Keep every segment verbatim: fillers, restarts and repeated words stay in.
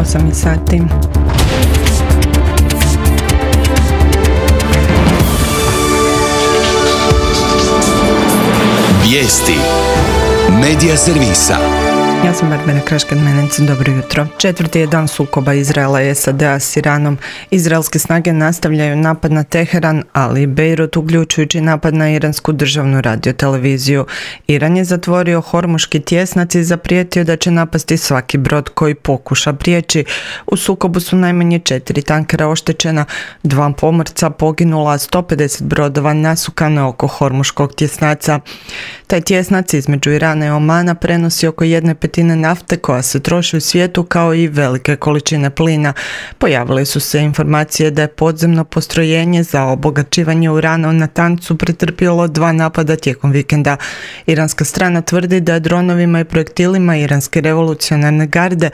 osam sati. Vijesti Medija servisa. Ja sam Barbara Kraškad-Menec, dobro jutro. Četvrti je dan sukoba Izraela i S A D-a s Iranom. Izraelske snage nastavljaju napad na Teheran, ali i Bejrut, uključujući napad na iransku državnu radioteleviziju. Iran je zatvorio Hormuški tjesnac i zaprijetio da će napasti svaki brod koji pokuša prijeći. U sukobu su najmanje četiri tankera oštećena, dva pomorca poginula, a sto pedeset brodova nasukano oko Hormuškog tjesnaca. Taj tjesnac između Irana i Omana prenosi oko jedne petine nafte koja se troši u svijetu, kao i velike količine plina. Pojavile su se informacije da je podzemno postrojenje za obogaćivanje urana u Natancu pretrpjelo dva napada tijekom vikenda. Iranska strana tvrdi da je dronovima i projektilima iranske revolucionarne garde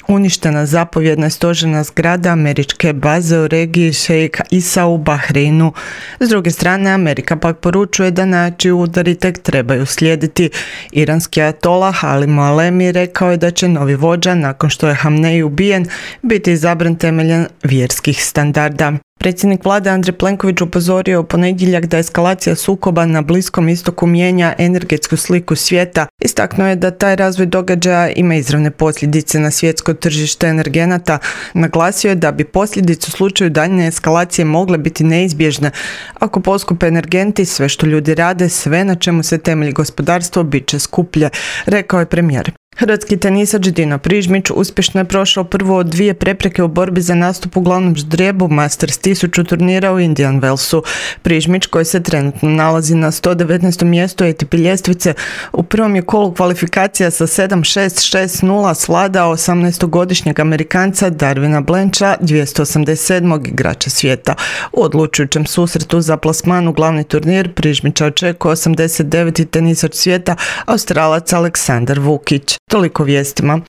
uništena zapovjedna stožerna zgrada američke baze u regiji Šejk Isa u Bahreinu. S druge strane, Amerika pak poručuje da najjači udari tek trebaju slijediti. Iranski ajatolah Ali Moalemi rekao je da će novi vođa, nakon što je Hamnej ubijen, biti izabran temeljem vjerskih standarda. Predsjednik vlade Andrej Plenković upozorio u ponedjeljak da eskalacija sukoba na Bliskom istoku mijenja energetsku sliku svijeta. Istaknuo je da taj razvoj događaja ima izravne posljedice na svjetsko tržište energenata. Naglasio je da bi posljedice u slučaju daljnje eskalacije mogle biti neizbježne. Ako poskupe energenti, sve što ljudi rade, sve na čemu se temelji gospodarstvo, bit će skuplje, rekao je premijer. Hrvatski tenisač Dino Prižmić uspješno je prošao prvu od dvije prepreke u borbi za nastup u glavnom ždrijebu Masters tisuću turnira u Indian Wellsu. Prižmić, koji se trenutno nalazi na sto devetnaestom mjestu A T P ljestvice, u prvom je kolu kvalifikacija sa sedam šest šest nula svladao osamnaestogodišnjeg Amerikanca Darwina Blancha, dvjesto osamdeset sedmog igrača svijeta. U odlučujućem susretu za plasman u glavni turnir Prižmića očekuje osamdeset deveti tenisač svijeta, Australac Aleksandar Vukić. Toliko vijestima.